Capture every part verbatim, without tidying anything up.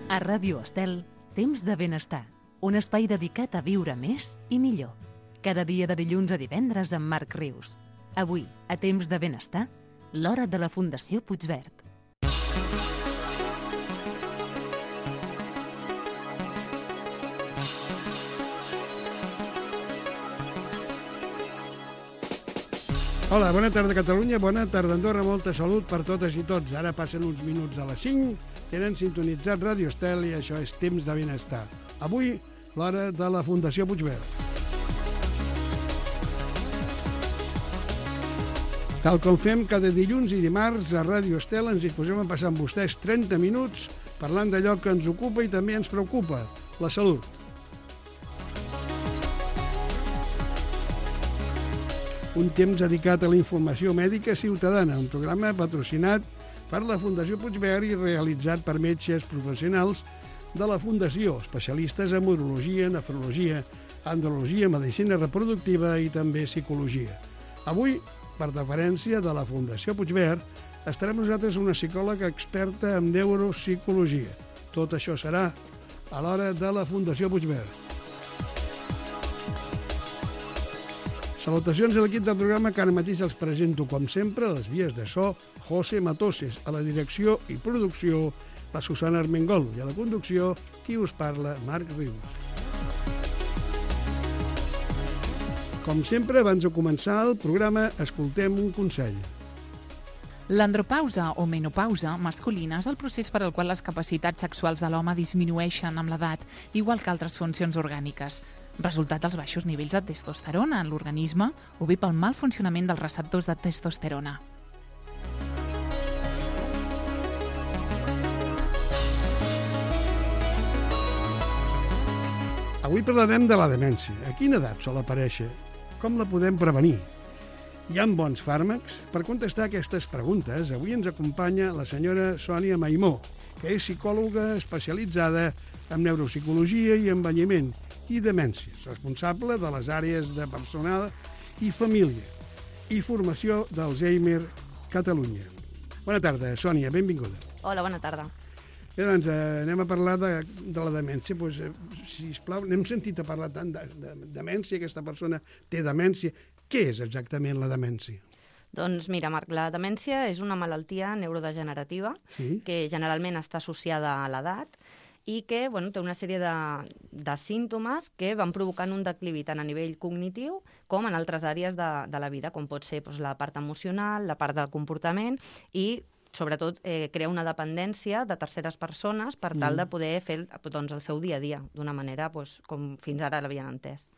A Ràdio Estel, Temps de Benestar, un espai dedicat a viure més i millor. Cada dia de dilluns a divendres amb Marc Rius. Avui, a Temps de Benestar, l'hora de la Fundació Puigverd. Hola, bona tarda Catalunya, bona tarda Andorra, molta salut per totes i tots. Ara passen uns minuts a les cinc, tenen sintonitzat Ràdio Estel i això és Temps de Benestar. Avui, l'hora de la Fundació Puigverd. Tal com fem cada dilluns i dimarts a Ràdio Estel, ens disposem a passar amb vostès trenta minuts parlant d'allò que ens ocupa i també ens preocupa, la salut. Un temps dedicat a la informació mèdica ciutadana, un programa patrocinat per la Fundació Puigverd i realitzat per metges professionals de la Fundació, especialistes en urologia, nefrologia, andrologia, medicina reproductiva i també psicologia. Avui, per deferència de la Fundació Puigverd, estarà amb nosaltres una psicòloga experta en neuropsicologia. Tot això serà a l'hora de la Fundació Puigverd. Salutacions a l'equip del programa que ara mateix els presento, com sempre, a les vies de so, José Matoses, a la direcció i producció, la Susana Armengol, i a la conducció, qui us parla, Marc Rius. Com sempre, abans de començar el programa, escoltem un consell. L'andropausa o menopausa masculina és el procés per al qual les capacitats sexuals de l'home disminueixen amb l'edat, igual que altres funcions orgàniques. Resultat dels baixos nivells de testosterona en l'organisme o bé pel mal funcionament dels receptors de testosterona. Avui parlarem de la demència. A quina edat sol aparèixer? Com la podem prevenir? Hi ha bons fàrmacs? Per contestar aquestes preguntes, avui ens acompanya la senyora Sònia Maimó, que és psicòloga especialitzada en neuropsicologia i envelliment i demències, responsable de les àrees de personal i família i formació d'Alzheimer Catalunya. Bona tarda, Sònia, benvinguda. Hola, bona tarda. Bé, doncs, eh, anem a parlar de, de la demència. Pues, eh, sisplau, n'hem sentit a parlar tant de, de, de demència, aquesta persona té demència. Què és exactament la demència? Doncs mira, Marc, la demència és una malaltia neurodegenerativa Sí? que generalment està associada a l'edat i que bueno, té una sèrie de, de símptomes que van provocant un declivi tant a nivell cognitiu com en altres àrees de, de la vida, com pot ser doncs, la part emocional, la part del comportament i, sobretot, eh, crea una dependència de terceres persones per tal de poder fer doncs, el seu dia a dia d'una manera doncs, com fins ara l'havien entès.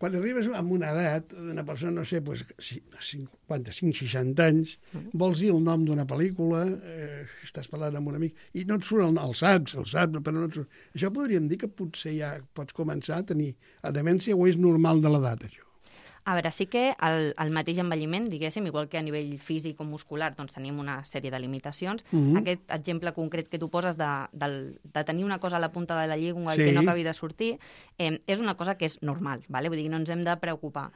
Quan arribes a una edat, una persona, no sé, pues, cinquanta-cinc, seixanta anys, vols dir el nom d'una pel·lícula, eh, estàs parlant amb un amic, i no et surt el, el saps, el saps, però no et surt. Això podríem dir que potser ja pots començar a tenir a demència o és normal de l'edat, això? A veure, sí que el, el mateix envelliment, diguéssim, igual que a nivell físic o muscular, doncs tenim una sèrie de limitacions. Mm-hmm. Aquest exemple concret que tu poses de, de, de tenir una cosa a la punta de la llengua Sí. i que no acabi de sortir, eh, és una cosa que és normal, vale? Vull dir, no ens hem de preocupar.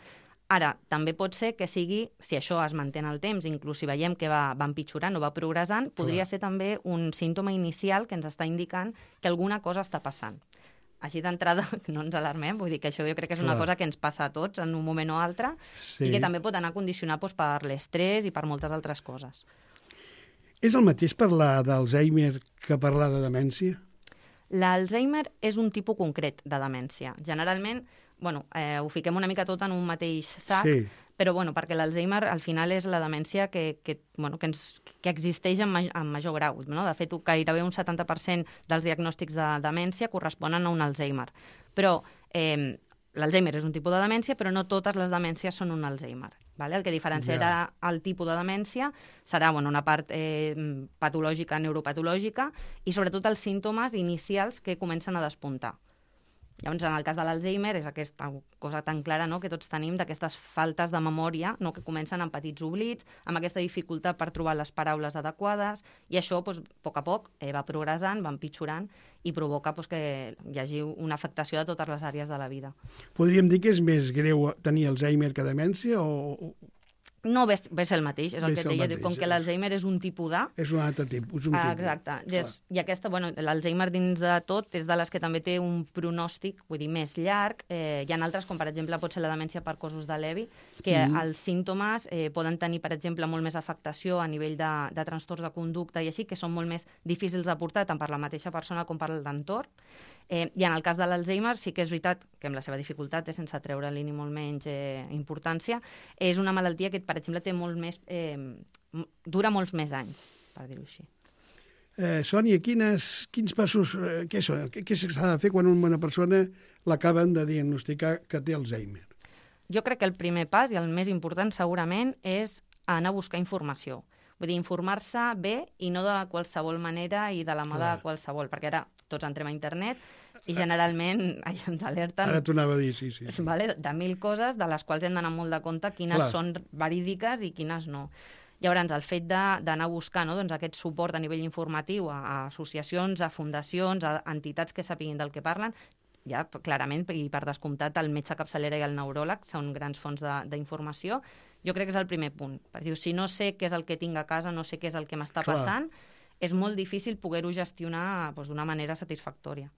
Ara, també pot ser que sigui, si això es manté en el temps, inclús si veiem que va, va empitjorant o va progressant, podria Clar. ser també un símptoma inicial que ens està indicant que alguna cosa està passant. Així d'entrada, no ens alarmem, vull dir que això jo crec que és una Clar. cosa que ens passa a tots en un moment o altre Sí. i que també pot anar condicionat doncs, per l'estrès i per moltes altres coses. És el mateix parlar d'Alzheimer que parlar de demència? L'Alzheimer és un tipus concret de demència. Generalment, bueno, eh, ho fiquem una mica tot en un mateix sac, Sí. però bueno, perquè l'Alzheimer al final és la demència que, que, bueno, que, ens, que existeix en, ma en major grau. No? De fet, gairebé un setanta per cent dels diagnòstics de demència corresponen a un Alzheimer. Però eh, l'Alzheimer és un tipus de demència, però no totes les demències són un Alzheimer. Vale? El que diferenciarà Ja. el tipus de demència serà bueno, una part eh, patològica, neuropatològica, i sobretot els símptomes inicials que comencen a despuntar. Llavors, en el cas de l'Alzheimer, és aquesta cosa tan clara, no?, que tots tenim d'aquestes faltes de memòria, no?, que comencen amb petits oblits, amb aquesta dificultat per trobar les paraules adequades, i això, doncs, a poc a poc, eh, va progressant, va empitjorant, i provoca doncs, que hi hagi una afectació de totes les àrees de la vida. Podríem dir que és més greu tenir Alzheimer que demència o... No, ve, ve ser el mateix, és el Ve que ser et el deia, mateix, com que eh? l'Alzheimer és un tipus d'A. És un altre tipus. Un Ah, tipus. exacte. Clar. Des, I aquesta, bueno, l'Alzheimer dins de tot és de les que també té un pronòstic, vull dir, més llarg. Eh, hi ha altres, com per exemple pot ser la demència per causos de Levi, que Mm. els símptomes eh, poden tenir, per exemple, molt més afectació a nivell de, de trastorns de conducta i així, que són molt més difícils de portar tant per la mateixa persona com per l'entorn. Eh, I en el cas de l'Alzheimer sí que és veritat que amb la seva dificultat, eh, sense treure-li ni molt menys eh, importància, és una malaltia que, per exemple, té molt més, eh, dura molts més anys, per dir-ho així. Eh, Sònia, quines, quins passos, eh, què són? Què, què s'ha de fer quan una persona l'acaben de diagnosticar que té Alzheimer? Jo crec que el primer pas, i el més important segurament, és anar a buscar informació. Vull dir, informar-se bé i no de qualsevol manera i de la mà de Clar. qualsevol, perquè ara tots entrem a internet i generalment ai, ens alerten Ara t'ho anava a dir, sí, sí. sí. vale, de mil coses de les quals hem d'anar molt de compte quines Clar. són verídiques i quines no. Llavors, el fet de- d'anar a buscar, no, doncs, aquest suport a nivell informatiu a, a associacions, a fundacions, a entitats que sapiguin del que parlen, ja clarament, i per descomptat, el metge capçalera i el neuròleg són grans fonts de- d'informació. Jo crec que és el primer punt. Perquè diu, si no sé què és el que tinc a casa, no sé què és el que m'està Clar. passant, és molt difícil poder-ho gestionar doncs, d'una manera satisfactòria.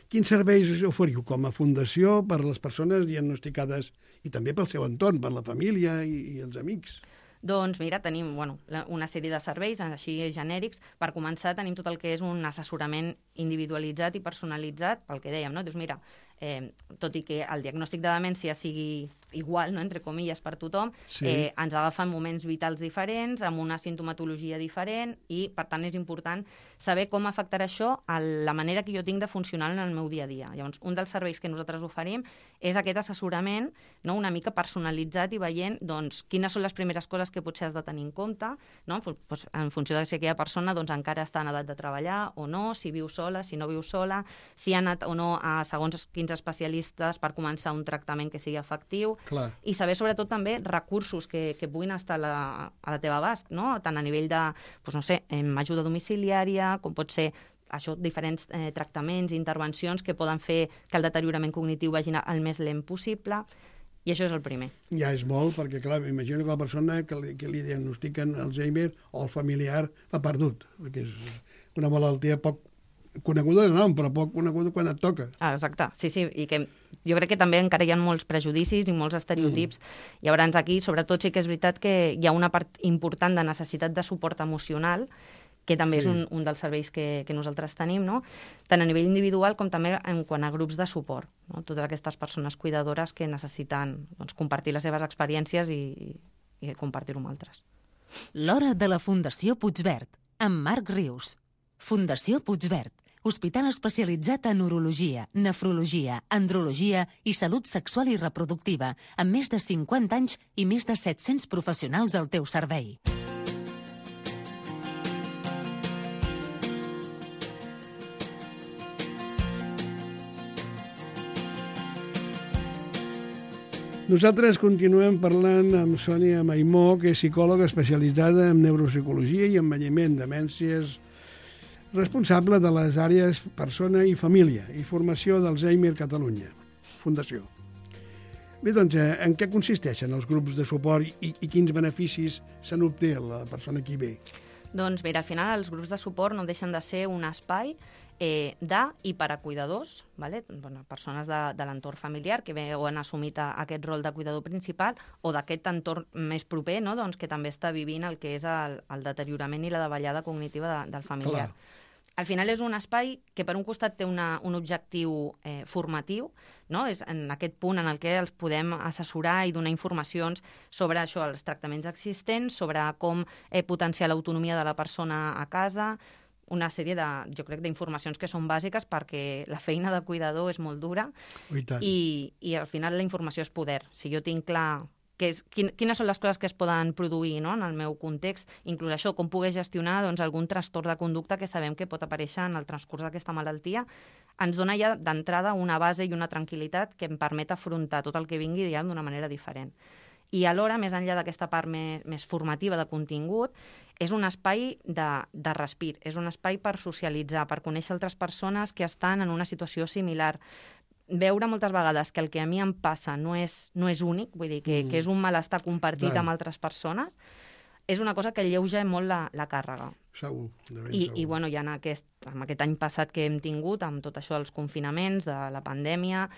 Quins serveis oferiu com a fundació per a les persones diagnosticades i també pel seu entorn, per la família i, i els amics? Doncs mira, tenim bueno, la- una sèrie de serveis així genèrics. Per començar, tenim tot el que és un assessorament individualitzat i personalitzat, pel que dèiem, no? Dius, mira, eh, tot i que el diagnòstic de demència sigui igual, no? Entre comilles, per tothom, Sí. eh, ens agafa en moments vitals diferents, amb una sintomatologia diferent, i, per tant, és important saber com afectarà això a la manera que jo tinc de funcionar en el meu dia a dia. Llavors, un dels serveis que nosaltres oferim és aquest assessorament, no? Una mica personalitzat i veient doncs, quines són les primeres coses que potser has de tenir en compte, no? En, fu doncs, en funció de si aquella persona doncs, encara està en edat de treballar o no, si viu sola, si no viu sola, si ha anat o no a segons quins especialistes per començar un tractament que sigui efectiu, Clar. i saber sobretot també recursos que, que puguin estar a la, a la teva abast, no? Tant a nivell de, doncs, no sé, em, ajuda domiciliària, com pot ser això, diferents eh, tractaments i intervencions que poden fer que el deteriorament cognitiu vagi el més lent possible, i això és el primer. Ja és molt, perquè, clar, m'imagino que la persona que li, que li diagnostiquen Alzheimer o el familiar ha perdut, perquè és una malaltia poc coneguda de nom, però poc coneguda quan et toca. Ah, exacte, sí, sí, i que jo crec que també encara hi ha molts prejudicis i molts estereotips. Mm. Llavors aquí, sobretot, sí que és veritat que hi ha una part important de necessitat de suport emocional, que també Sí. és un, un dels serveis que, que nosaltres tenim, no? Tant a nivell individual com també en quant a grups de suport, no? Totes aquestes persones cuidadores que necessiten doncs, compartir les seves experiències i, i compartir-ho amb altres. L'hora de la Fundació Puigverd, amb Marc Rius. Fundació Puigverd, hospital especialitzat en urologia, nefrologia, andrologia i salut sexual i reproductiva, amb més de cinquanta anys i més de set-cents professionals al teu servei. Nosaltres continuem parlant amb Sònia Maimó, que és psicòloga especialitzada en neuropsicologia i envelliment, demències, responsable de les àrees persona i família i formació d'Alzheimer Catalunya, Fundació. Bé, doncs, eh, en què consisteixen els grups de suport i, i quins beneficis se n'obté a la persona que hi ve? Doncs mira, al final els grups de suport no deixen de ser un espai eh, de i per a cuidadors, vale? Bueno, persones de, de l'entorn familiar que bé o han assumit a, aquest rol de cuidador principal o d'aquest entorn més proper, no? Doncs que també està vivint el que és el, el deteriorament i la davallada cognitiva de, del familiar. Clar. Al final és un espai que per un costat té una, un objectiu eh, formatiu, no? És en aquest punt en el que els podem assessorar i donar informacions sobre això, els tractaments existents, sobre com eh, potenciar l'autonomia de la persona a casa, una sèrie de, jo crec, d'informacions que són bàsiques perquè la feina de cuidador és molt dura I tant. i, i al final la informació és poder. Si jo tinc clar que és, quin, quines són les coses que es poden produir, no? En el meu context, inclús això, com poder gestionar doncs, algun trastorn de conducta que sabem que pot aparèixer en el transcurs d'aquesta malaltia, ens dona ja d'entrada una base i una tranquil·litat que em permet afrontar tot el que vingui ja d'una manera diferent. I alhora, més enllà d'aquesta part més, més formativa de contingut, és un espai de, de respir, és un espai per socialitzar, per conèixer altres persones que estan en una situació similar. veure moltes vegades que el que a mi em passa no és, no és únic, vull dir, que, mm. que és un malestar compartit Clar. amb altres persones, és una cosa que alleuja molt la, la càrrega. Segur, de ben I, segur. i bueno, ja en aquest, en aquest any passat que hem tingut, amb tot això dels confinaments, de la pandèmia,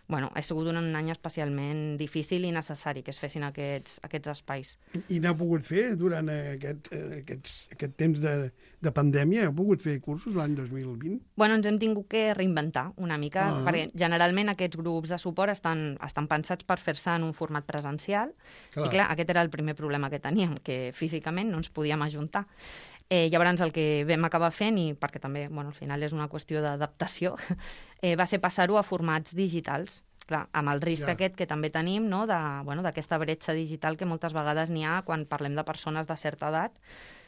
bueno, ha sigut un any especialment difícil i necessari que es fessin aquests, aquests espais. I n'heu pogut fer durant aquest, aquests, aquest temps de, de pandèmia? Heu pogut fer cursos l'any dos mil vint? Bueno, ens hem tingut que reinventar una mica, Ah. perquè generalment aquests grups de suport estan, estan pensats per fer-se en un format presencial. Clar. I clar, aquest era el primer problema que teníem, que físicament no ens podíem ajuntar. Eh, llavors el que vam acabar fent, i perquè també bueno, al final és una qüestió d'adaptació, eh, va ser passar-ho a formats digitals. Clar, amb el risc Ja. aquest que també tenim, no, de, bueno, d'aquesta bretxa digital que moltes vegades n'hi ha quan parlem de persones de certa edat.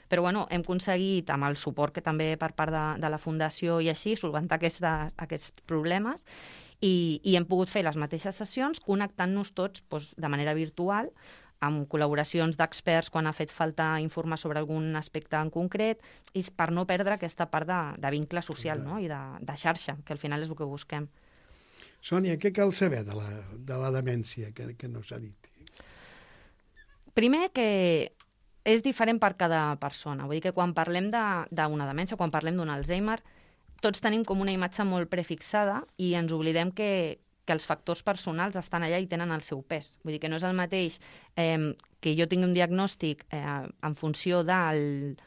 Però bueno, hem aconseguit, amb el suport que també per part de, de la Fundació i així, solventar aquestes, aquests problemes i, i hem pogut fer les mateixes sessions connectant-nos tots doncs, de manera virtual, amb col·laboracions d'experts quan ha fet falta informar sobre algun aspecte en concret, i per no perdre aquesta part de, de vincle social, no? I de, de xarxa, que al final és el que busquem. Sònia, què cal saber de la, de la demència, que, que no s'ha dit? Primer, que és diferent per cada persona. Vull dir que quan parlem d'una de, demència, quan parlem d'un Alzheimer, tots tenim com una imatge molt prefixada i ens oblidem que, que els factors personals estan allà i tenen el seu pes. Vull dir que no és el mateix eh, que jo tingui un diagnòstic eh, en funció del,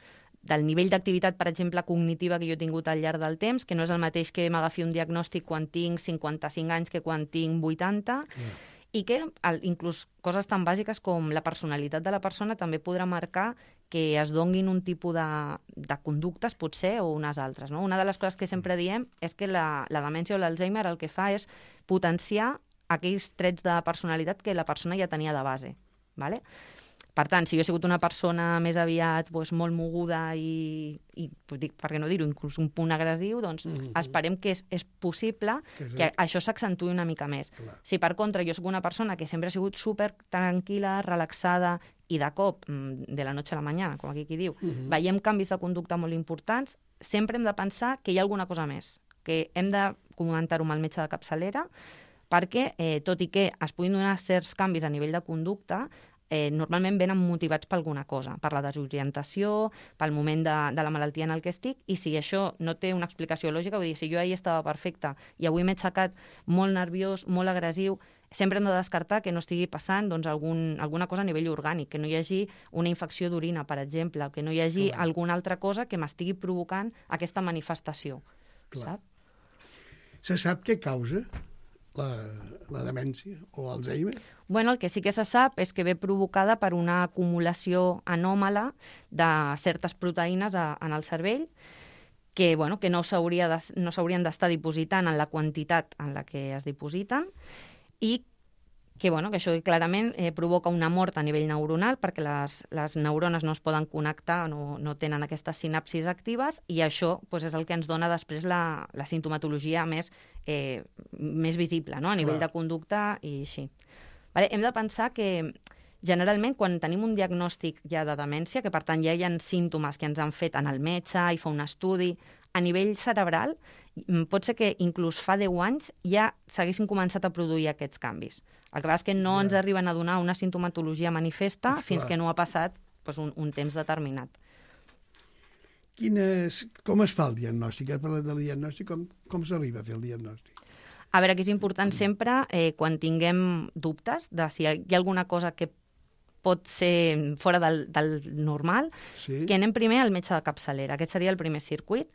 del nivell d'activitat, per exemple, cognitiva que jo he tingut al llarg del temps, que no és el mateix que m'agafi un diagnòstic quan tinc cinquanta-cinc anys que quan tinc vuitanta, Yeah. i que el, inclús coses tan bàsiques com la personalitat de la persona també podrà marcar que es donguin un tipus de, de conductes, potser, o unes altres. No? Una de les coses que sempre diem és que la, la demència o l'Alzheimer el que fa és potenciar aquells trets de personalitat que la persona ja tenia de base. Vale? Per tant, si jo he sigut una persona més aviat doncs, molt moguda i, i dic, per què no dir-ho, inclús un punt agressiu, doncs mm-hmm. esperem que és, és possible que, que això s'accentuï una mica més. Clar. Si per contra jo soc una persona que sempre ha sigut super tranquil·la, relaxada, i de cop, de la noche a la mañana, com aquí qui diu, mm-hmm. veiem canvis de conducta molt importants, sempre hem de pensar que hi ha alguna cosa més, que hem de comentar-ho amb el metge de capçalera, perquè, eh, tot i que es puguin donar certs canvis a nivell de conducta, Eh, normalment venen motivats per alguna cosa, per la desorientació, pel moment de, de la malaltia en el que estic, i si això no té una explicació lògica, vull dir, si jo ahir estava perfecta i avui m'he aixecat molt nerviós, molt agressiu, sempre hem de descartar que no estigui passant doncs, algun, alguna cosa a nivell orgànic, que no hi hagi una infecció d'orina, per exemple, que no hi hagi Clar. alguna altra cosa que m'estigui provocant aquesta manifestació. Clar. Sap? Se sap què causa la, la demència o Alzheimer? Bueno, el que sí que se sap és que ve provocada per una acumulació anòmala de certes proteïnes a, en el cervell que, bueno, que no s'hauria de, no s'haurien d'estar dipositant en la quantitat en la que es dipositen i que, bueno, que això clarament eh, provoca una mort a nivell neuronal perquè les, les neurones no es poden connectar, no, no tenen aquestes sinapsis actives i això pues, és el que ens dona després la, la sintomatologia més, eh, més visible, no? A nivell Clar. de conducta i així. Vale? Hem de pensar que generalment quan tenim un diagnòstic ja de demència, que per tant ja hi ha símptomes que ens han fet en el metge i fa un estudi, a nivell cerebral pot ser que inclús fa deu anys ja s'haguessin començat a produir aquests canvis. El que passa és que no Ja. ens arriben a donar una sintomatologia manifesta Esclar. fins que no ha passat doncs, un, un temps determinat. Quines, com es fa el diagnòstic? Has parlat del diagnòstic, com, com s'arriba a fer el diagnòstic? A veure, que és important sempre, eh, quan tinguem dubtes de si hi ha alguna cosa que pot ser fora del, del normal, Sí? que anem primer al metge de capçalera. Aquest seria el primer circuit.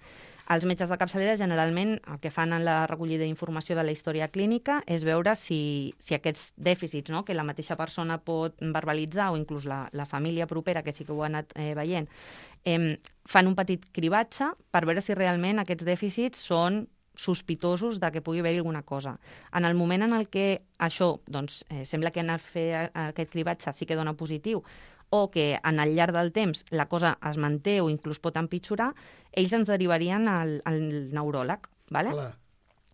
Els metges de capçalera generalment el que fan en la recollida d'informació de la història clínica és veure si, si aquests dèficits, no?, que la mateixa persona pot verbalitzar o inclús la, la família propera, que sí que ho ha anat eh, veient, eh, fan un petit cribatge per veure si realment aquests dèficits són sospitosos de que pugui haver-hi alguna cosa. En el moment en el que això doncs, eh, sembla que anar a fer aquest cribatge sí que dona positiu o que en el llarg del temps la cosa es manté o inclús pot empitjorar, ells ens derivarien al, al neuròleg. Vale? Clar.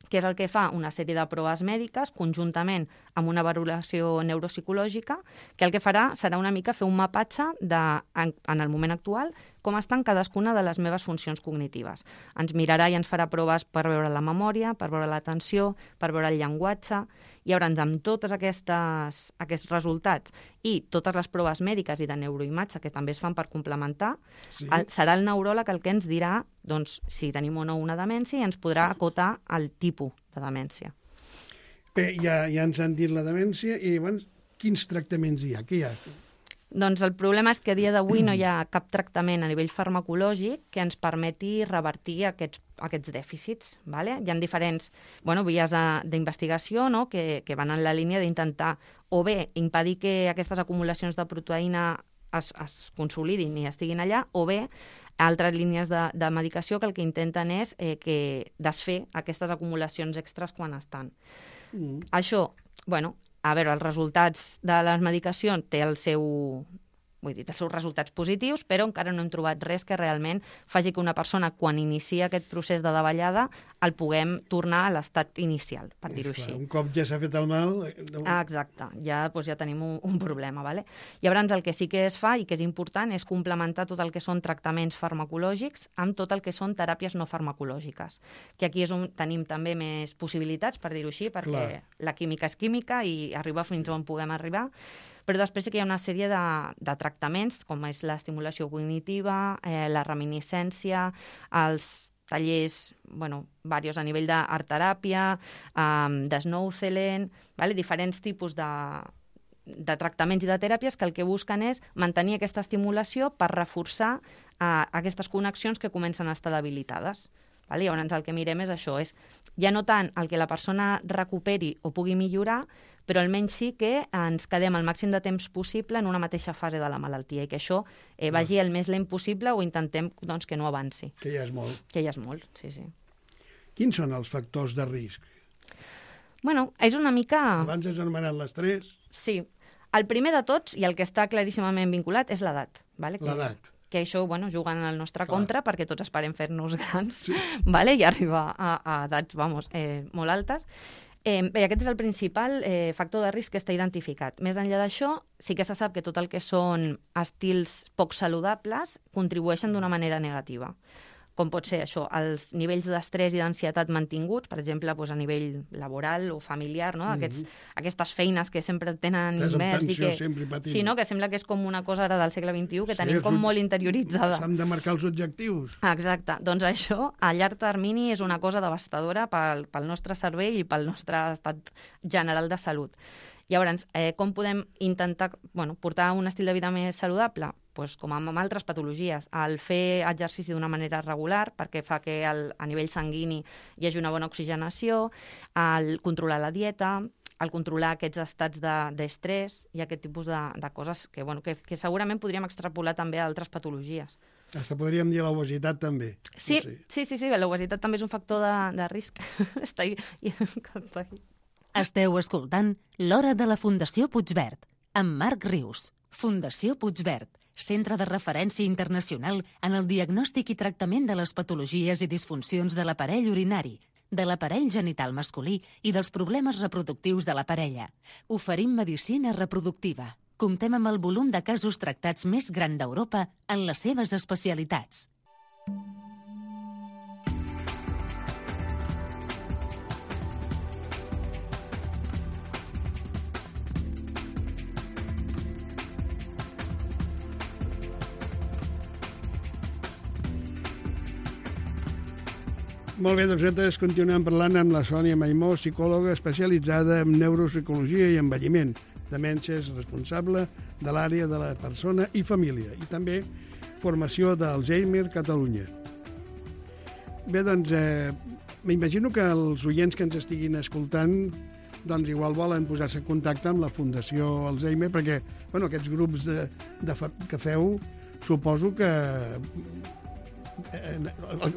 que és el que fa una sèrie de proves mèdiques conjuntament amb una valoració neuropsicològica, que el que farà serà una mica fer un mapatge de, en, en el moment actual, com estan cadascuna de les meves funcions cognitives. Ens mirarà i ens farà proves per veure la memòria, per veure l'atenció, per veure el llenguatge. Llavors, amb tots aquestes, aquests resultats i totes les proves mèdiques i de neuroimatge que també es fan per complementar, sí. el, serà el neuròleg el que ens dirà doncs, si tenim o no una demència i ens podrà acotar el tipus de demència. Bé, ja, ja ens han dit la demència i llavors quins tractaments hi ha? Què hi ha? Doncs el problema és que a dia d'avui no hi ha cap tractament a nivell farmacològic que ens permeti revertir aquests, aquests dèficits. Vale? Hi ha diferents bueno, vies d'investigació no? que, que van en la línia d'intentar o bé impedir que aquestes acumulacions de proteïna es, es consolidin i estiguin allà, o bé altres línies de, de medicació que el que intenten és eh, que desfer aquestes acumulacions extres quan estan. Mm. Això, bueno, a veure, els resultats de les medicacions té el seu, vull dir, els seus resultats positius, però encara no hem trobat res que realment faci que una persona, quan inicia aquest procés de davallada, el puguem tornar a l'estat inicial, per dir-ho així. Un cop ja s'ha fet el mal... Ah, exacte, ja, doncs ja tenim un, un problema. Vale? Llavors, el que sí que es fa i que és important és complementar tot el que són tractaments farmacològics amb tot el que són teràpies no farmacològiques, que aquí és on tenim també més possibilitats, per dir-ho així, perquè Clar. La química és química i arribar fins on puguem arribar, però després sí que hi ha una sèrie de, de tractaments, com és l'estimulació cognitiva, eh, la reminiscència, els tallers, bueno, diversos a nivell d'art-teràpia, um, d'Snow-Celen, vale? Diferents tipus de, de tractaments i de teràpies que el que busquen és mantenir aquesta estimulació per reforçar uh, aquestes connexions que comencen a estar debilitades. Vale? Llavors el que mirem és això, és ja no tant el que la persona recuperi o pugui millorar, però almenys sí que ens quedem el màxim de temps possible en una mateixa fase de la malaltia i que això eh, vagi el més lent possible o intentem doncs, que no avanci. Que ja és molt. Que ja és molt, sí, sí. Quins són els factors de risc? Bueno, és una mica... Abans has anomenat l'estrès. Sí. El primer de tots, i el que està claríssimament vinculat, és l'edat. Vale? L'edat. Que això, bueno, juguen en el nostre Clar. Contra perquè tots esperem fer-nos grans, sí. vale? I arribar a, a edats, vamos, eh, molt altes. Eh, bé, aquest és el principal eh, factor de risc que està identificat. Més enllà d'això, sí que se sap que tot el que són estils poc saludables contribueixen d'una manera negativa. Com pot ser això, els nivells d'estrès i d'ansietat mantinguts, per exemple, doncs a nivell laboral o familiar, no? Aquests, mm-hmm. aquestes feines que sempre tenen immers i que... Sí, no? Que sembla que és com una cosa ara del segle vint-i-u que sí, tenim com molt interioritzada. S'han de marcar els objectius. Exacte. Doncs això, a llarg termini, és una cosa devastadora pel, pel nostre cervell i pel nostre estat general de salut. Llavors, eh, com podem intentar bueno, portar un estil de vida més saludable? Pues, com amb altres patologies, el fer exercici d'una manera regular perquè fa que el, a nivell sanguini hi hagi una bona oxigenació, el controlar la dieta, el controlar aquests estats d'estrès de, i aquest tipus de, de coses que, bueno, que, que segurament podríem extrapolar també a altres patologies. Hasta podríem dir l'obesitat també. Sí, sí, sí, sí, sí, l'obesitat també és un factor de, de risc. Està ahí. Esteu escoltant L'Hora de la Fundació Puigverd, amb Marc Rius. Fundació Puigverd, centre de referència internacional en el diagnòstic i tractament de les patologies i disfuncions de l'aparell urinari, de l'aparell genital masculí i dels problemes reproductius de la parella. Oferim medicina reproductiva. Comptem amb el volum de casos tractats més gran d'Europa en les seves especialitats. Molt bé, doncs nosaltres continuem parlant amb la Sònia Maimó, psicòloga especialitzada en neuropsicologia i envelliment, demències, responsable de l'àrea de la persona i família, i també formació d'Alzheimer Catalunya. Bé, doncs, eh, m'imagino que els oients que ens estiguin escoltant doncs igual volen posar-se en contacte amb la Fundació Alzheimer, perquè bueno, aquests grups de, de fa, que feu, suposo que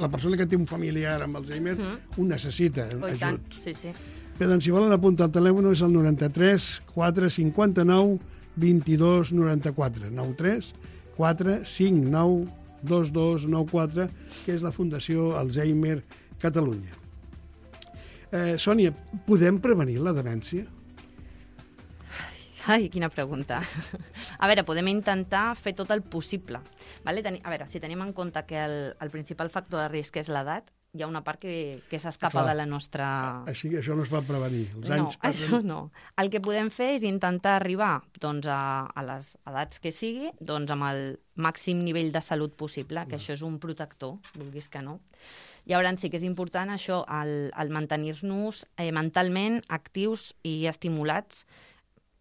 la persona que té un familiar amb Alzheimer mm. ho necessita, oh, ajut. Sí, sí. Bé, doncs si volen apuntar el telèfon és el noranta-tres quatre cinquanta-nou vint-i-dos noranta-quatre, noranta-tres quatre cinquanta-nou vint-i-dos noranta-quatre, que és la Fundació Alzheimer Catalunya. Eh, Sònia, podem prevenir la demència? Ai, quina pregunta. A veure, podem intentar fer tot el possible. Vale? Teni- A veure, si tenim en compte que el, el principal factor de risc és l'edat, hi ha una part que, que s'escapa Clar. de la nostra... Així que això no es va prevenir. Els No, anys passen... això no. El que podem fer és intentar arribar doncs, a, a les edats que sigui doncs, amb el màxim nivell de salut possible, que això és un protector, vulguis que no. Llavors sí que és important això, el, el mantenir-nos eh, mentalment actius i estimulats,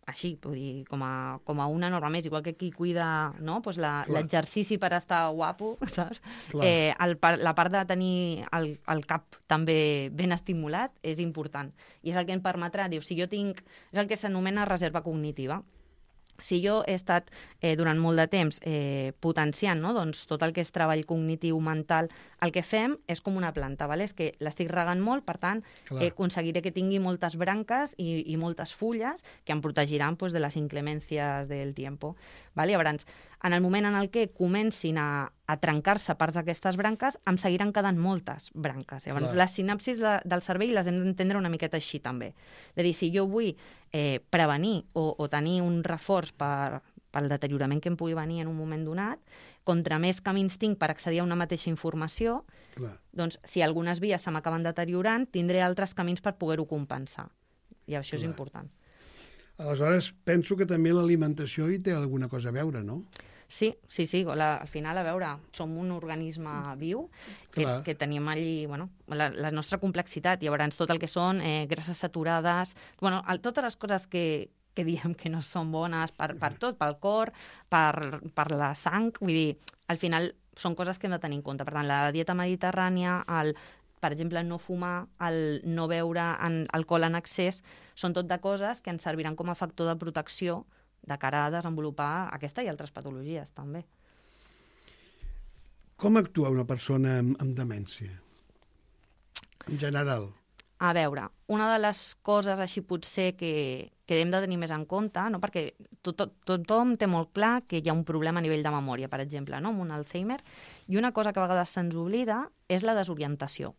així, vull dir, com a, com a una norma més, igual que qui cuida no? pues la, Clar. l'exercici per estar guapo, saps? Clar. Eh, el, par- la part de tenir el, el cap també ben estimulat és important. I és el que em permetrà, diu, si jo tinc... És el que s'anomena reserva cognitiva. Si jo he estat eh, durant molt de temps eh, potenciant no? doncs, tot el que és treball cognitiu, mental, el que fem és com una planta, ¿vale? És que l'estic regant molt, per tant, Clar. eh, aconseguiré que tingui moltes branques i, i moltes fulles que em protegiran pues, de les inclemències del tiempo. ¿Vale? Llavors, en el moment en el que comencin a, a trencar-se parts d'aquestes branques, em seguiran quedant moltes branques. Llavors, Clar. les sinapsis de, del cervell les hem d'entendre una miqueta així, també. És a dir, si jo vull eh, prevenir o, o tenir un reforç per, pel deteriorament que em pugui venir en un moment donat, contra més camins tinc per accedir a una mateixa informació, Clar. doncs, si algunes vies se m'acaben deteriorant, tindré altres camins per poder-ho compensar. I això és Clar. important. Aleshores, penso que també l'alimentació hi té alguna cosa a veure, no? Sí, sí, sí. La, al final, a veure, som un organisme viu que, Clar. que tenim allí bueno, la, la nostra complexitat. Llavors, tot el que són eh, grasses saturades, bueno, el, totes les coses que, que diem que no són bones per, per tot, pel cor, per, per la sang, vull dir, al final són coses que hem de tenir en compte. Per tant, la dieta mediterrània, el, per exemple, no fumar, el no beure en, alcohol en excés, són tot de coses que ens serviran com a factor de protecció de cara a desenvolupar aquesta i altres patologies, també. Com actua una persona amb, amb demència? En general. A veure, una de les coses així potser que, que hem de tenir més en compte, no? Perquè to, to, tothom té molt clar que hi ha un problema a nivell de memòria, per exemple, no? Amb un Alzheimer, i una cosa que a vegades se'ns oblida és la desorientació.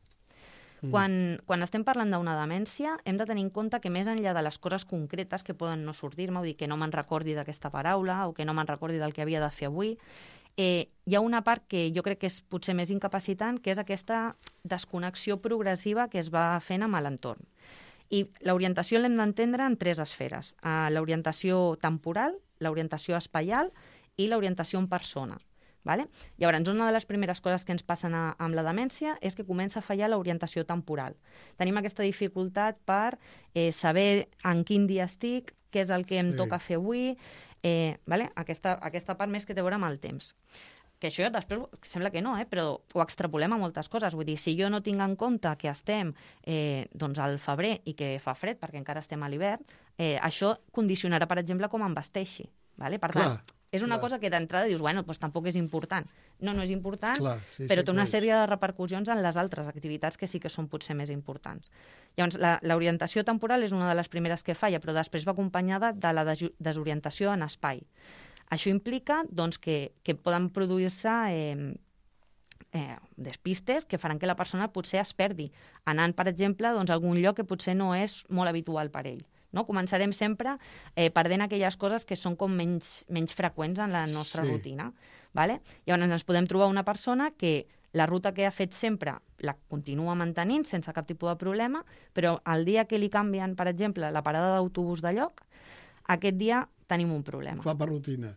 Mm. Quan, quan estem parlant d'una demència, hem de tenir en compte que més enllà de les coses concretes que poden no sortir-me, vull dir que no me'n recordi d'aquesta paraula o que no me'n recordi del que havia de fer avui, eh, hi ha una part que jo crec que és potser més incapacitant, que és aquesta desconnexió progressiva que es va fent amb l'entorn. I l'orientació l'hem d'entendre en tres esferes. Eh, l'orientació temporal, l'orientació espaial i l'orientació en persona. Vale? Llavors, una de les primeres coses que ens passen a, amb la demència és que comença a fallar l'orientació temporal. Tenim aquesta dificultat per eh, saber en quin dia estic, què és el que em Sí. toca fer avui, eh, vale? aquesta, aquesta part més que té a veure amb el temps. Que això després sembla que no, eh? Però ho extrapolem a moltes coses. Vull dir, si jo no tinc en compte que estem eh, doncs al febrer i que fa fred, perquè encara estem a l'hivern, eh, això condicionarà, per exemple, com em vesteixi. Vale? Per Clar. tant, és una Clar. cosa que d'entrada dius, bueno, doncs tampoc és important. No, no és important, Clar, sí, però sí, té una clar. sèrie de repercussions en les altres activitats que sí que són potser més importants. Llavors, la- l'orientació temporal és una de les primeres que falla, però després va acompanyada de la desu- desorientació en espai. Això implica doncs, que, que poden produir-se eh, eh, despistes que faran que la persona potser es perdi, anant, per exemple, doncs, a algun lloc que potser no és molt habitual per ell. No? Començarem sempre eh, perdent aquelles coses que són com menys, menys freqüents en la nostra Sí. rutina. Vale? Llavors ens podem trobar una persona que la ruta que ha fet sempre la continua mantenint sense cap tipus de problema, però el dia que li canvien, per exemple, la parada d'autobús de lloc, aquest dia tenim un problema. Fa per rutina.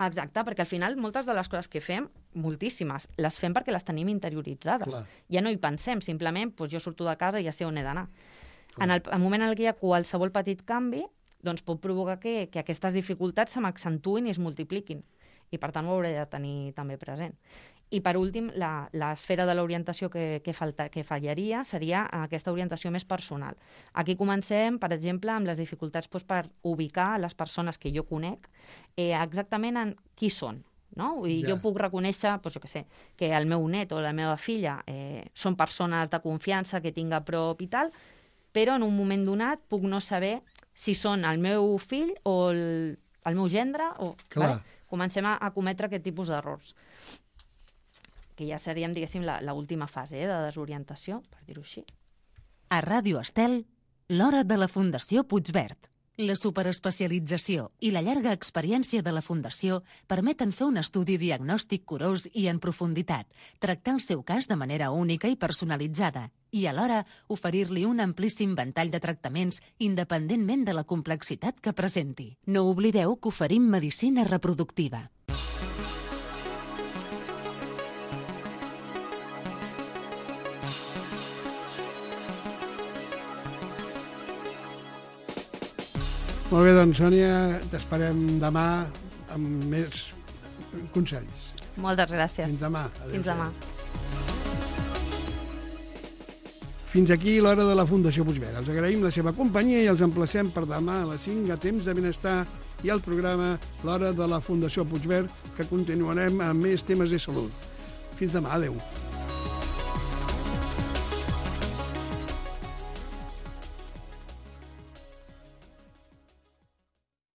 Exacte, perquè al final moltes de les coses que fem, moltíssimes, les fem perquè les tenim interioritzades. Clar. Ja no hi pensem, simplement doncs jo surto de casa i ja sé on he d'anar. En el, el moment en el que hi ha qualsevol petit canvi, doncs pot provocar que, que aquestes dificultats se m'accentuïn i es multipliquin. I per tant ho hauré de tenir també present. I per últim, la- l'esfera de l'orientació que, que, falta, que fallaria seria aquesta orientació més personal. Aquí comencem, per exemple, amb les dificultats doncs, per ubicar les persones que jo conec eh, exactament en qui són. No? Vull dir, Ja. Jo puc reconèixer doncs, jo què sé, que el meu net o la meva filla eh, són persones de confiança que tinc a prop i tal, però en un moment donat puc no saber si són el meu fill o el, el meu gendre. O, Clar. vale? Comencem a, a cometre aquest tipus d'errors. Que ja seríem, diguéssim, la, la última fase eh, de desorientació, per dir-ho així. A Ràdio Estel, l'hora de la Fundació Puigverd. La superespecialització i la llarga experiència de la Fundació permeten fer un estudi diagnòstic curós i en profunditat, tractar el seu cas de manera única i personalitzada i, alhora, oferir-li un amplíssim ventall de tractaments independentment de la complexitat que presenti. No oblideu que oferim medicina reproductiva. Molt bé, doncs, Sònia, t'esperem demà amb més consells. Moltes gràcies. Fins demà. Fins demà. Fins aquí l'hora de la Fundació Puigverd. Els agraïm la seva companyia i els emplacem per demà a les cinc a Temps de Benestar i al programa L'hora de la Fundació Puigverd, que continuarem amb més temes de salut. Fins demà. Adéu.